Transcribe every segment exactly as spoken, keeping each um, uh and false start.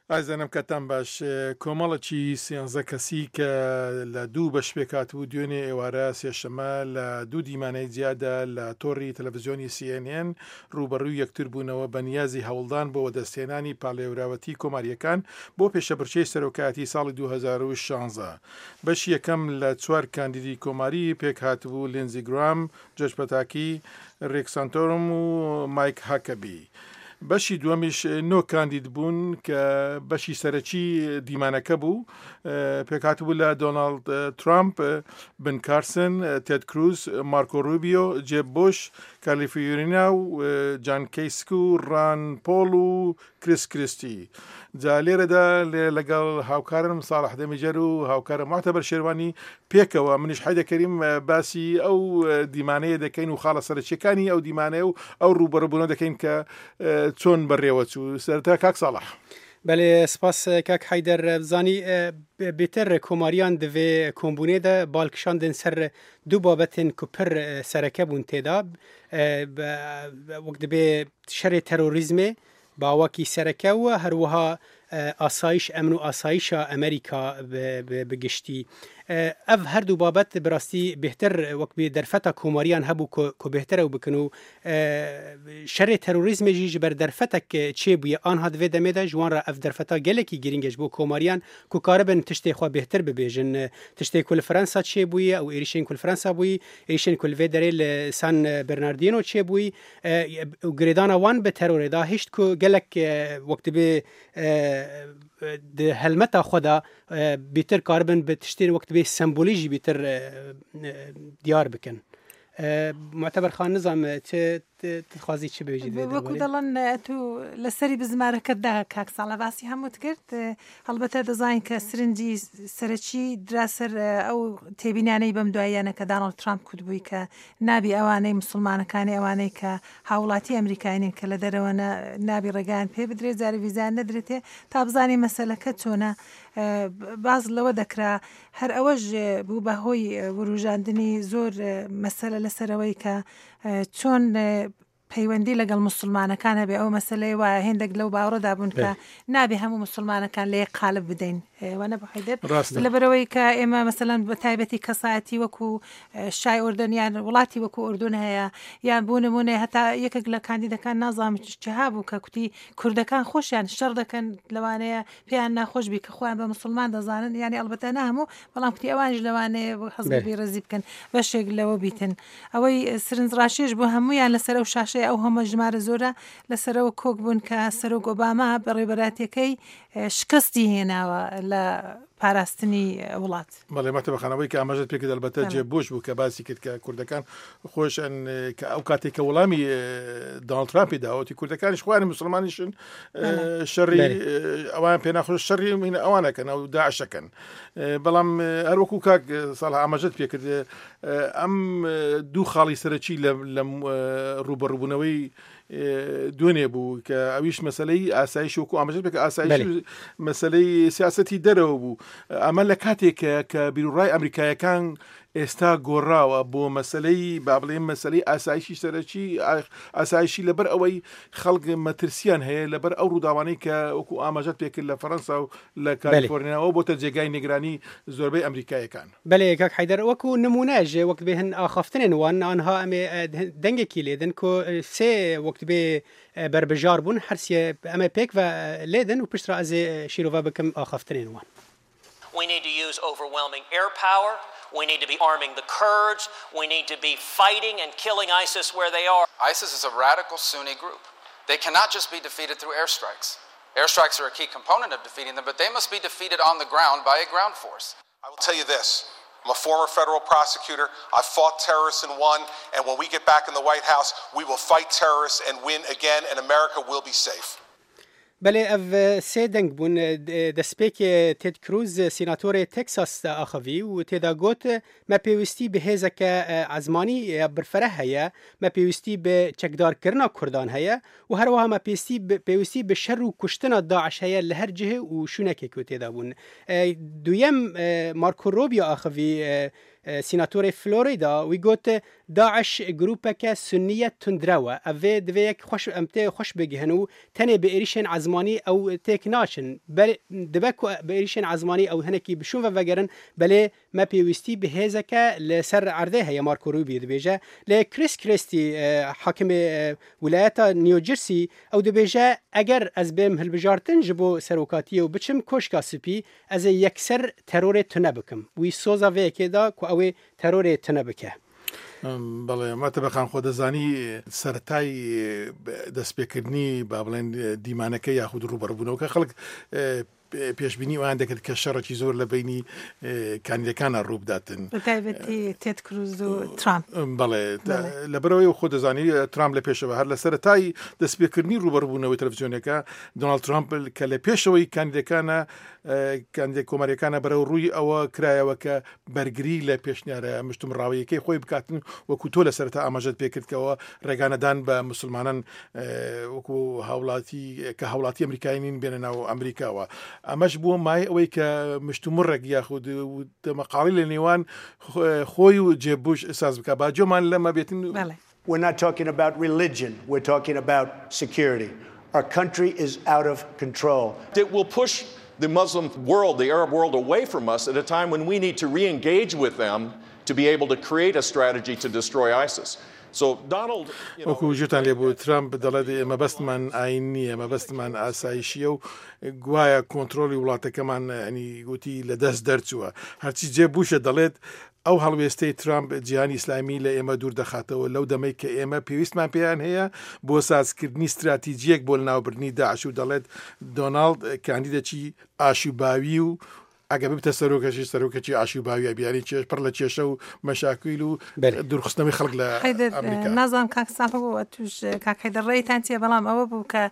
ئازیزانم کاتتان باش. کۆمەڵێکی سێنزە کەسی کە لە دوو بەش پێکهاتبوو دوێنێ ئێوارە سێشەمە لە دوو دیمانەی جیادا لە تۆڕی تەلەڤزیۆنی سی ئێن ئێن ڕووبەڕووی یەکتر بوونەوە بە نیازی هەوڵدان بۆ وەدەستهێنانی پاڵێوراوەتی کۆمارییەکان بۆ پێشەبڕکێی سەرۆکایەتی ساڵی دوو هەزار و شازدە. بەشی یەکەم لە چوار کاندیدی کۆماری پێکهاتبوو، لینزی گرام، جۆرج پەتاکی، ریک سانتۆرم و مایک هاکەبی. بەشی دووەمیش نۆ کاندید بوون کە بەشی سەرەکی دیمانەکە بوو، پێکهاتبوو لە دۆناڵد ترامپ، بن کارسن، تێد کروز، مارکۆ روبیۆ، جێب بوش، کالیفۆرنیا و جان کەیسک و ڕان پۆڵ و کریس کریستی. جا لێرەدا لێ لەگەڵ هاوکارم ساڵح دەمیجەر و هاوکارم معتەبەر شێروانی پێکەوە منیش حەیدە کەریم باسی ئەو دیمانەیە دەکەین و خاڵە سەرەکیەکانی ئەو دیمانەیە و ئەو ڕووبەڕووبوونە دەکەین کە چۆن بەڕێوە چوو. سەرەتا کاک ساڵح. بەێ سپاس کاک حەیدەر. بزانی بێتر کۆماریان دەوێ کۆمبوونێ بالکشاندن سەر دوو بابەتن کو پر سەرەکە بوون تێدا، وەک دەبێ شەرێ تەرۆریزمێ باوەکی سەرەکە و هەروەها ئاسایش ئەمن و ئاسایشە ئەمریکا بگشتی. ئەف هەردوو بابەت بەڕاستی بهتر وەک بێ دەرفەتە کۆماریان هەبوو کۆ بهترە و بکن و شەرێ تەرۆریزمێژی ji ber derfetek çê bûye anha divê demê de ji wan re ev derfeta gelekî girîng ji bo komariyan ku karibin tiştê xwe bêhtir bibêjin. Tiştê ku li Fransa çêbûye û êrişên ku li Fransa bûyî, êrişên ku li vê derê li San Bernardino çêbûyî û girêdana wan bi terorê da hişt ku gelek wek dibê di helmeta xwe da bêtir karibin bi tiştên wek dibê sembolî jî bêtir diyar bikin. معتبر خان نظام تخوازی چ بێژی وەکو دەڵێن تو لەسەری بزمارەکەتدا کاک ساڵە باسی هەمووت کرد. هەڵبەتە دەزانین کە سرنجی سەرەکی درا سەر ئەو تێبینانەی بەم دواییانە کە دانۆڵد ترامپ کوتبووی کە نابی ئەوانەی مسلمانەکانی ئەوانەی کە هاوڵاتی ئەمریکاینین کە لە دەرەوە نابی ڕێگایان پێ بدرێت، جارێ ڤیزایان نەدرێتێ تا بزانین مەسەلەکە چۆنە. باز لەوە دەکرا هەر ئەوەش بوو بە هۆی وروژاندنی زۆر مەسەلە لەسەرەوەی کە چۆن پەیوەندی لەگەڵ مسلمانەکان هەبێ. ئەو مەسلەی وایە هێندێک لەو باوەڕەدا بوون کە نابێ هەموو مسلمانەکان لە یەک قالب بدەین. وانە بۆ حەیدەر؟ لەبەرەوەی کە ئێمە مەسەلەن بە تایبەتی کەسایەتی وەکو شای ئوردن یان وڵاتی وەکو ئوردن هەیە، یان بۆ نمونە هەتا یەکێک لە کاندیدەکان نازانم چها بوو کە کوتی کوردەکان خۆشیان شەڕ دەکەن، لەوانەیە پێیان ناخۆش بی کە خۆیان بە مسلمان دەزانن، یعنی ئەلبەتە نە هەموو، بەڵام کوتی ئەوانیش لەوانەیە حەز بە بێڕێزی بکەن بەشێک لەوە بیتن. ئەوەی سەرنجڕاکێش بۆ هەمویان لەسەر ئەو شاشەیە ئەو هەمە ژمارە زۆرە لەسەرەوە کۆک بوون کە سەرۆک ئۆباما بەڕێوەبەراتیەکەی شکستی هێناوە لە پاراستنی وڵات. بەڵێ مەتەبە خانەوەی کە ئاماژەت پێکرد ئەلبەتە جێ بۆش بوو کە باسی کرد کە کوردەکان خۆشن کە ئەو کاتێک کە وەڵامی دۆناڵد ترامپی داوەتی کوردەکانیش خۆیان مسلمانیشن شەڕی ئەوان پێناخۆش شەڕی ئەوانەکەن ئەو داعشەکەن. بەڵام هەروەکو کاک ساڵح ئاماژەت پێکرد ئەم دوو خاڵی سەرەکی لە ڕووبەڕووبوونەوەی دوێنێ بوو کە ئەویش مەسلەی ئاسایش وەکو ئاماژەت پێکرد ئاسایش مەسلەی سیاسەتی دەرەوە بوو. ئەمە لە کاتێک کە بیرروڕای ئەمریکایەکان ئێستا گۆڕاوە بۆ مەسلەی با بڵێم مەسلەی ئاسایشی سەرەکی ئاسایشی لەبەر ئەوەی خەڵک مەترسیان هەیە لەبەر ئەو ڕووداوانەی کە وەکو ئاماژەت پێکرد لە فەرەنسا و لە کالیفۆرنیاوە بۆتە جێگای نیگرانی زۆربەی ئەمریکایەکان. بەلێ کاک حەیدەر وەکو نمونەژ وەک بێ هەن ئاخافتنێن وان ئەنها ئەمێ دەنگێکی لێدن کۆ سێ وەک بێ بربژار بوون هەرسێ ئەمە پێک و لێدن و پشترا ئەزێ شیرۆڤە بکەم ئاخافتنێن وان. We need to use overwhelming air power. We need to be arming the Kurds. We need to be fighting and killing ISIS where they are. ISIS is a radical Sunni group. They cannot just be defeated through airstrikes. Airstrikes are a key component of defeating them, but they must be defeated on the ground by a ground force. I will tell you this. I'm a former federal prosecutor. I've fought terrorists and won. And when we get back in the White House, we will fight terrorists and win again, and America will be safe. بەێ ئەv سێ دەنگ بوون دەستپێکی تێد کروز سیناتۆرێ تەکساس ئاخەوی و تێدا گوت مە پێویستی بە هێزەکە ئەزمانی برفرە هەیە، مە پێویستی بە چەکدارکردنا کوردان هەیە و هەروەها مە پێویستی بە شەڕ و کوشتنا داعش هەیە لە هەر جهه و شوونێکێک و تێدا بوون. دویەم مارکۆ رۆبیۆ ئاخەوی سیناتۆرێ فلۆریدا وی گوت داعش گروپەکە سنیە توندرەوە ئەvê divê yek xweş em tê xweş bigihin û tenê bi êrişên ezmanî ew têk naçin dibe ku bi êrişên ezmanî ew hinekî bi şûn ve vegerin belê me pêwîstî bi hêzeke li ser erdê heye Marco Rubio dibêje lê Chris Christie hakimê wilayeta New Jersey ew dibêje eger ez bêm hilbijartin ji bo serokatiyê û biçim Koşka Spî ez ê yekser terorê tune bikim wî soza vê yekê da ku ew ê terorê tune bike. بەڵێ ماتەبەخان خۆ دەزانی سەرەتای دەستپێکردنی با بڵێن دیمانەکە یاخود ڕووبەڕووبوونەوەکە خەڵک پێشبینی ئەوان دەکرد کە شەڕێکی زۆر لە بینی کاندیدەکانە ڕووبداتن بەتایبەتی تێد کروز و ترامپ. بەڵێ لەبەرەوەی خۆ دەزانی ترامپ لە پێشەوە هەر لە سەرەتای دەستپێکردنی ڕووبەڕووبوونەوەی تەلەڤیزیۆنەکە دۆناڵد ترامپ کە لە پێشەوەی کاندیدەکانە کاندیدە کۆماریەکانە بەرەو ڕووی ئەوە کرایەوە کە بەرگری لە پێشنیارە مشتومڕاویەکەی خۆی بکاتن وەکو تۆ لە سەرەتا ئاماژەت پێکردکەوە ڕێگانەدان بە مسلمانان وەکو هاوڵاتی کە هاوڵاتی ئەمریکایی نین بێنە ناو ئەمریکاوە. ئەمەش بووە مای ئەوەی کە مشتومڕێک یاخود دەمەقاڵی لە نێوان خۆی و جێب بوش ساز بکە با جۆمان لەمە بێتن. We're not talking about religion, we're talking about security. Our country is out of control. It will push the Muslim world, the Arab world, away from us at a time when we need to re-engage with them to be able to create a strategy to destroy ISIS. وەکو ژێتان لێبوو ترامپ دەڵێت مەبەستمان ئاین نییە، مەبەستمان ئاسایشیە و گوایە کۆنترۆڵی وڵاتەکەمان ینی گوتی لە دەست دەرچووە. هەرچی جێ بووشە دەڵێت ئەو هەڵوێستەی ترامپ جیهانی ئیسلامی لە ئێمە دوور دەخاتەوە لەو دەمەی کە ئێمە پێویستمان پێیان هەیە بۆ سازکردنی استراتیژیەک بۆ لەناوبردنی داعش و دەڵێت دۆناڵد کاندیدێکی ئاشوباوی و ئەگە ببتە سەرۆکەشی سەرۆکەکی ئاشوباویە بیانی چێش پڕ لە کێشە و مەشاکیل و دوورخستنەوەی خەڵک لە ئەمریکا. نازانم کاک ساڵح بوو توش کاک حەیدەر ڕێیتان چییە، بەڵام ئەوە بوو کە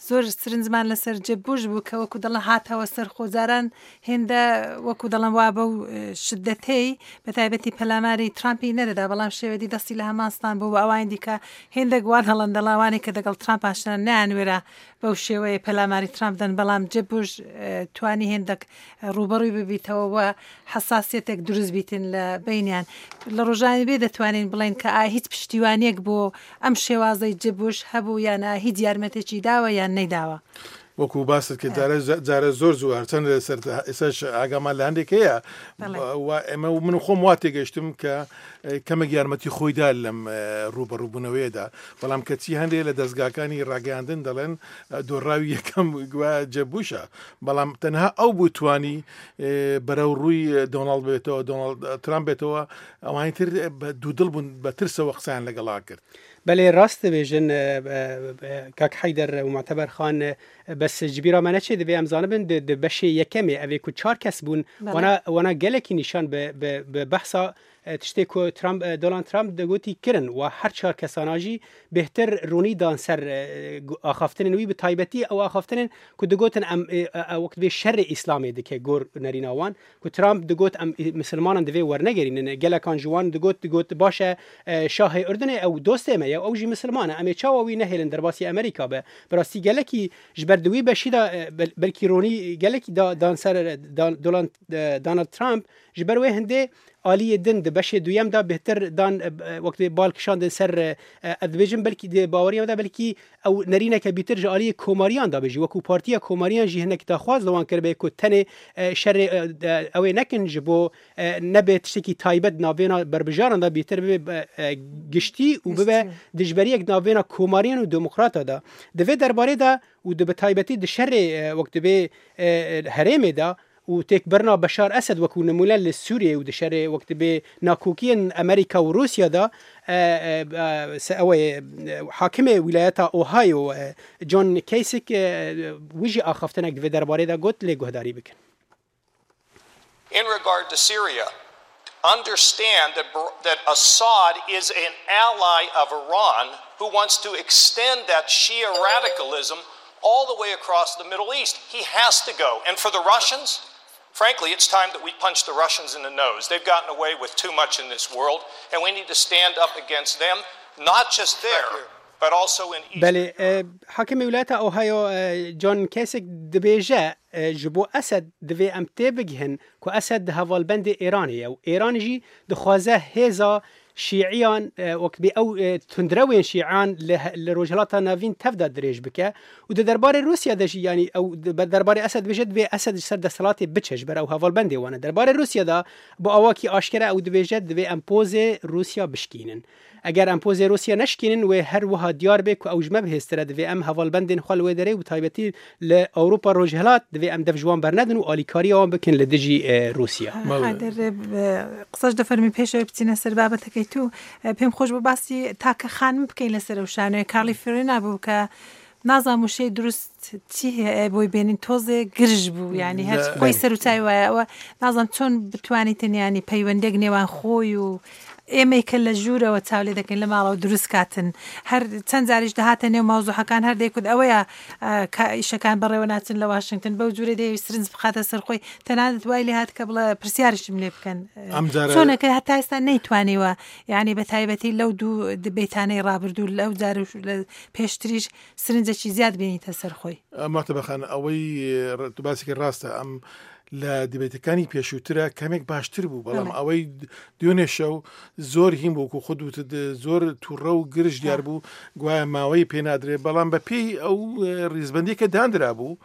زۆر سرنجمان لەسەر جێب بوش بوو کە وەکو دەڵێن هاتەوە سەر خۆجاران هێندە وەکو دەڵێن وا بەو شدەتەی بە تایبەتی پەلاماری ترامپی نەدەدا، بەڵام شێوەدی دەستی لە هەمانستان بوو بە ئەوانی دیکە هێندێک وا دەڵێن دەڵاوانێک کە دەگەڵ ترامپ ئاشنا نەیانوێرا بەو شێوەیە پەلاماری ترامپ دەن، بەڵام جێب بوش توانی هێندێک ڕووبەڕووی ببیتەوە و حساسیەتێک دروست بیتن لە بینیان. لە ڕۆژانی بێ دەتوانین بڵێن کە ئا هیچ پشتیوانیەک بۆ ئەم شێوازەی جێب بوش هەبوو یان هیچ یارمەتێکی داوە یان نەیداوە. وەکو باست کرد جارە زۆر زوو هەرچەند لەسەر ئێساش ئاگامان لە هەندێک هەیە ئێمە من خۆم وا تێگەیشتم کە کەمێک یارمەتی خۆیدا لەم ڕووبەڕووبوونەوەیەدا، بەڵام کەچی هەندێک لە دەستگاکانی ڕاگەیاندن دەڵێن دۆڕاوی یەکەم گوایە جێب بوشە، بەڵام تەنها ئەو بوو توانی بەرەو ڕووی دۆناڵد بێتەوە دۆناڵد ترامپ بێتەوە، ئەوانی تر بە دوودڵ بوون بە ترسەوە قسەیان لەگەڵا کرد. بەلێ ڕاست دەبێژن کاک حەیدەر و معتەبەر خان، بەس جبیرا me neçê divê em zanibin di beşê yekemê evê ku çar kes bûn wana gelekî nîşan bi behsa tiştê ku Trump Donald Trump digotî kirin و her çar kesana jî bêhtir ronî dan ser axaftinên wî bi taybetî ew axaftinên ku digotin em wek divê şerê İslamê dike gor nerîna wan ku Trump digot em misilmanan divê wernegerînin gelekan ji wan digot digot baş e şahê Urdunê ew dostê me ye ew jî misilman e em ê çawa wî nehêlin derbasî Amerîka be. Bi rastî gelekî ji ber di wî beşî de belkî ronî gelekî dan ser Donald Trump ji ber wê hindê aliyê din di beşê duyem da bêhtir dan wek bal kişandin ser ez dibêjim belkî di baweriya de belkî ew nerîneke bîtir ji aliyê komariyan da bijî wekû partiya komariyan jî hinek daxwaz li wan kiribe ku tenê şerê ew ê nekin ji bo nebe tiştekî taybet navbêna berbijaran da bêhtir bibe giştî û bibe dijberiyek navbêna komariyan û demokrata da. Di vê derbarê de û di bi taybetî di şerê wek dibê herêmê de و تێکبرنا بەشار ئەسەد وەکو نمونە لە سووریە و دەشەرێ وەک دەبێ ناکۆکیên ئەمریکا و رووسیادا ئەوەی حاکمê ویلایەتا ئۆهایۆ جۆن کەیسک ویژی ئاخافتنێک divê derbarê de got lê guhdarî bikin. In regard to Syria, understand that, that Assad is an ally of Iran who wants to extend that Shia radicalism all the way across the Middle East. He has to go. And for the Russians, frankly, it's time that we punch the Russians in the nose. They've gotten away with too much in this world, and we need to stand up against them, not just there, but also in Eastern بەێ Europe. حاکمی ویلایەتە ئۆهایۆ جۆن کەسێک دەبێژە ji bo Esed divê em tê bigihin ku Esed di hevalbendê Îranê ye û Îran jî dixwaze hêza şîiyan wek bê ew tundrewên şîiyan li Rojhilata Navîn tev de dirêj bike û di derbarê Rûsya de jî yanî ew derbarê Esed dibêje divê Esed ji ser desthilatê biçe ji ber ew hevalbendê wan e. Derbarê Rûsya de bi awakî aşkere ew dibêje divê em pozê Rûsya bişkînin. Eger em pozê Rûsya neşkînin wê her wiha diyar bê ku ew ji me bihêztir e divê em hevalbendên xwe li wê derê û taybetî li Ewropa Rojhilat divê em dev ji wan bernedin û alîkariya wan bikin li dijî Rûsya. حەیدەر قسەش دەفەرمی پێشەوەی بچینە سەر بابەتەکەی تو پێم خۆش بوو باسی تاکە خانم بکەین لەسەر ئەو شانۆیە کارلی فرینا بوو کە نازانم وشەی دروست چی هەیە بۆی بێنین تۆزێ گرژ بوو یعنی هەر خۆی سەر و چاوی وایە ئەوە نازانم چۆن بتوانیتن ینی پەیوەندێک نێوان خۆی و ئێمەی کە لە ژوورەوە چاو لێ دەکەین لە ماڵەوە دروست کاتن هەر چەند جاریش دەهاتە نێو ماوزوحەکان هەر دەیکوت ئەوەیە کە ئیشەکان بەڕێوە ناچن لە واشنگتن بەو جوورە دەیەویست سرنج بخاتە سەر خۆی تەنانەت وای لێ هات کە بڵێ پرسیارشم لێ بکەن چۆنەکە هەتا ئێستا نەیتوانیوە یعنی بە تایبەتی لەو دوو دبەیتانەی ڕابردوو لەو جار و لە پێشتریش سرنجێکی زیاد بینیتە سەر خۆی. مەعتەبەخان ئەوەی باسێکی ڕاستە ئەم لە دیبەیتەکانی پێشووترە کەمێک باشتر بوو بەڵام ئەوەی دوێنێ شەو زۆر هین بوو و خۆت وتت زۆر تووڕە و گرژ دیار بوو گوایە ماوەی پێنادرێ بەڵام بە پێی ئەو ڕیزبندی کە دانرا بوو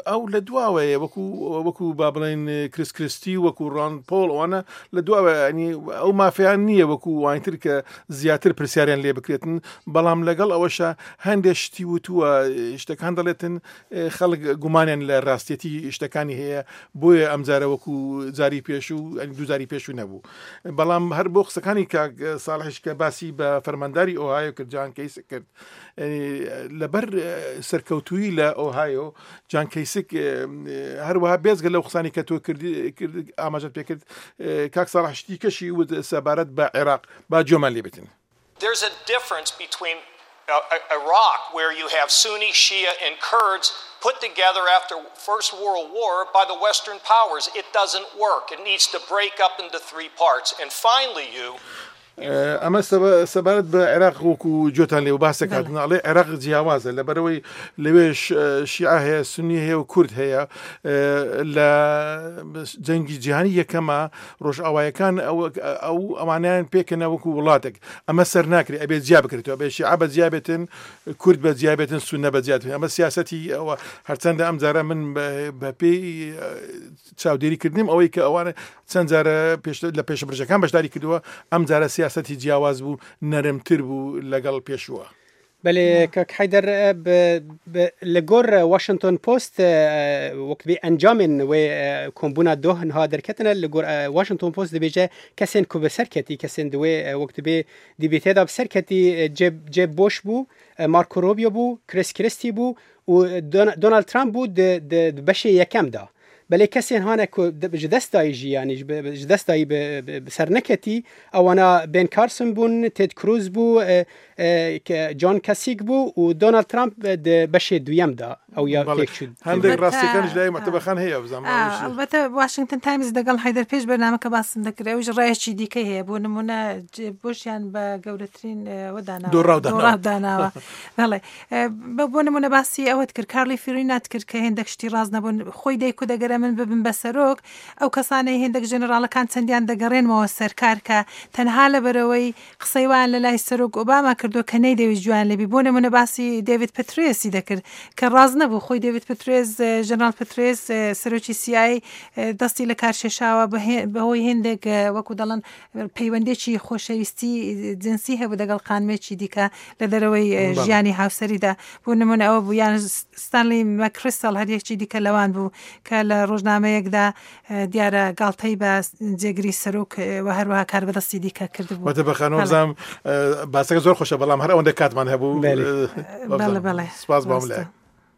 ئەو لە دواوەیە وەکو وەکو با بڵێن کریس کریستی وەکو ڕان پۆڵ ئەوانە لە دواوە ینی ئەو مافیان نییە وەکو وانتر کە زیاتر پرسیاریان لێ بکرێتن بەڵام لەگەڵ ئەوەشە هەندێک شتی وتووە شتەکان دەڵێتن خەڵک گومانیان لە ڕاستێتی شتەکانی هەیە بۆیە ئەمجارە وەکو جاری پێشوو دوو جاری پێشوو نەبوو بەڵام هەر بۆ قسەکانی کاک ساڵحیش کە باسی بە فەرمانداری ئۆهایۆ کرد جان کەیسک کرد لەبەر سەرکەوتوویی لە ئۆهایۆ جان کەیسک هەروەها بێزگە لەو قسانی کە تۆ کرد ئاماژەت پێ کرد کاک ساڵح شتی کەشی وت سەبارەت بە عێراق با گوێمان لێ بێتن. There's a difference between Iraq, where you have Sunni, Shia, and Kurds put together after First World War by the Western powers. It doesn't work. It needs to break up into three parts. And finally, you... ئەمە سەبارەت بە عێراق وەکو جۆتان لێ و باسەکاتن ئەڵێ عێراق جیاوازە لەبەرەوەی لەوێش شیعە هەیە سونی هەیە و کورد هەیە لە جەنگی جیهانی یەکەمە ڕۆژئاوایەکان ئەو ئەوانیان پێکەنە وەکو وڵاتێک ئەمە سەر ناکرێت ئەبێت جیا بکرێتەوە ئەبێ شیعە بە جیا بێتن کورد بە جیا بێتن سوننە بە جیا بێتن ئەمە سیاسەتی ئەوە هەرچەندە ئەم جارە من بە پێی چاودێریکردنیم ئەوەی کە ئەوانە چەند جارە لە پێشبڕژەکان بەشداری کردووە ئەم جارە سیاسەتی جیاواز بوو نەرمتر بوو لەگەڵ پێشووە. بەێ کاک حەیدەر لە گۆر واشنگتۆن پۆست وەک بێ ئەنجامên wê kombûna doh niha derketine li gor Washington Post dibêje kesên ku bi serketî kesên di wê wek dibê dîbêtê de bi serketî Jeb Bush bû Marco Rubio bû Chris Christie bû û Donald Trump bû di beşê yekem da. بەلێ کەسێن هانە ji destayî jî yanî ji destayî bi ser neketî ewana Ben Carson bûn Ted Cruz bû John Kasich bû û Donald Trump di beşê duyem da ئەو یا تێک چوو. هەندێک ڕاستیەکانش لای مەعتەبەخان هەیە بزانم. ئەلبەتە واشنگتن تایمز دەگەڵ حەیدەر پێش بەرنامەکە باسم دەکرد ئەویش ڕایەکی دیکەی هەیە بۆ نمونە بۆشیان بە گەورەترین دۆڕاو داناوە. بەڵێ بۆ نمونە باسی ئەوەت کرد کارلی فیرینات کرد کە هێندێک شتی ڕاست نەبوون خۆی دەیکوت دەگەرە من ببم بە سەرۆک ئەو کەسانەی هێندێک ژەنەراڵەکان چەندیان دەگەڕێنمەوە سەرکار کە تەنها لەبەرەوەی قسەی وان لە لای سەرۆک ئۆباما کردووە کە نەیدەویست جوان لێبی بۆ نمونە باسی دێڤید پترێسی دەکرد کە ڕاست نەبوو خۆی دێڤید پترێس ژەنەراڵ پترێس سەرۆکی سیای دەستی لە کارشێشاوە بەهۆی هێندێک وەکو دەڵێن پەیوەندێکی خۆشەویستی جنسی هەبوو دەگەڵ خانمێکی دیکە لە دەرەوەی ژیانی هاوسەریدا بۆ نمونە ئەوە بوو یان ستانلی مەکریستال هەر یەکێکی دیکە لەوان بوو کە لە ڕۆژنامەیەکدا دیارە گاڵتەی بە جێگری سەرۆک و هەروەها کاربەدەستی دیکە کردبوو. مەعتەبەخان وەبزانم باسەکە زۆر خۆشە بەڵام هەر ئەوەندە کاتمان هەبوو. بەڵێ بەڵێ سپاس بۆم لای.